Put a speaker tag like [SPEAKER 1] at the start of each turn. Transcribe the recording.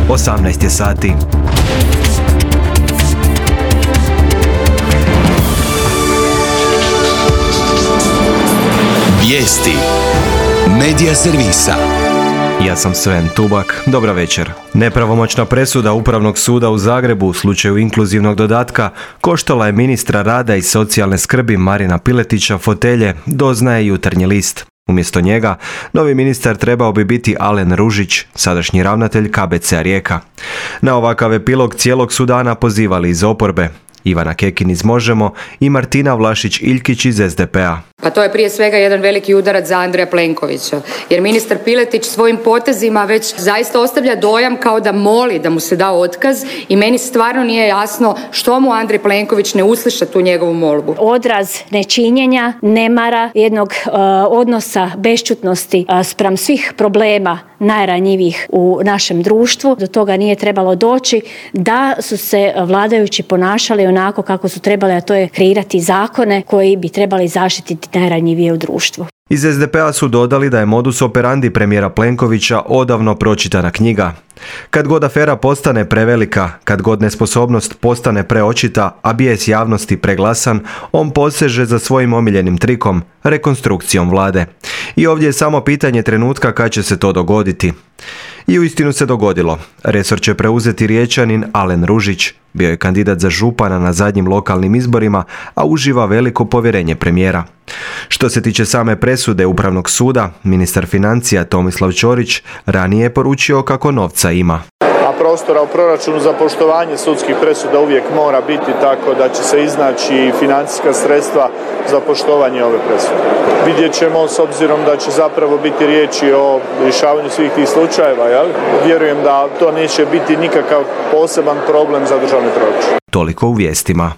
[SPEAKER 1] 18 je sati.
[SPEAKER 2] Vijesti Medija servisa.
[SPEAKER 1] Ja sam Sven Tubak, dobra večer. Nepravomoćna presuda Upravnog suda u Zagrebu u slučaju inkluzivnog dodatka koštala je ministra rada i socijalne skrbi Marina Piletića fotelje, doznaje Jutarnji list. Umjesto njega, novi ministar trebao bi biti Alen Ružić, sadašnji ravnatelj KBC-a Rijeka. Na ovakav epilog cijelog su dana pozivali iz oporbe. Ivana Kekin iz Možemo i Martina Vlašić-Iljkić iz SDP-a.
[SPEAKER 3] Pa to je prije svega jedan veliki udarac za Andreja Plenkovića, jer ministar Piletić svojim potezima već zaista ostavlja dojam kao da moli da mu se da otkaz i meni stvarno nije jasno što mu Andrej Plenković ne usliša tu njegovu molbu.
[SPEAKER 4] Odraz nečinjenja, nemara, jednog odnosa bešćutnosti spram svih problema najranjivijih u našem društvu. Do toga nije trebalo doći da su se vladajući ponašali onako kako su trebali, a to je kreirati zakone koji bi trebali zaštititi najranjivije u društvu.
[SPEAKER 1] Iz SDP-a su dodali da je modus operandi premijera Plenkovića odavno pročitana knjiga. Kad god afera postane prevelika, kad god nesposobnost postane preočita, a bijes javnosti preglasan, on poseže za svojim omiljenim trikom, rekonstrukcijom vlade. I ovdje je samo pitanje trenutka kad će se to dogoditi. I uistinu se dogodilo. Resor će preuzeti Riječanin Alen Ružić. Bio je kandidat za župana na zadnjim lokalnim izborima, a uživa veliko povjerenje premijera. Što se tiče same presude Upravnog suda, ministar financija Tomislav Ćorić ranije je poručio kako novca ima.
[SPEAKER 5] A prostora u proračunu za poštovanje sudskih presuda uvijek mora biti, tako da će se iznaći financijska sredstva za poštovanje ove presude. Vidjet ćemo, s obzirom da će zapravo biti riječi o rješavanju svih tih slučajeva, jel? Vjerujem da to neće biti nikakav poseban problem za državni proračun.
[SPEAKER 1] Toliko u vijestima.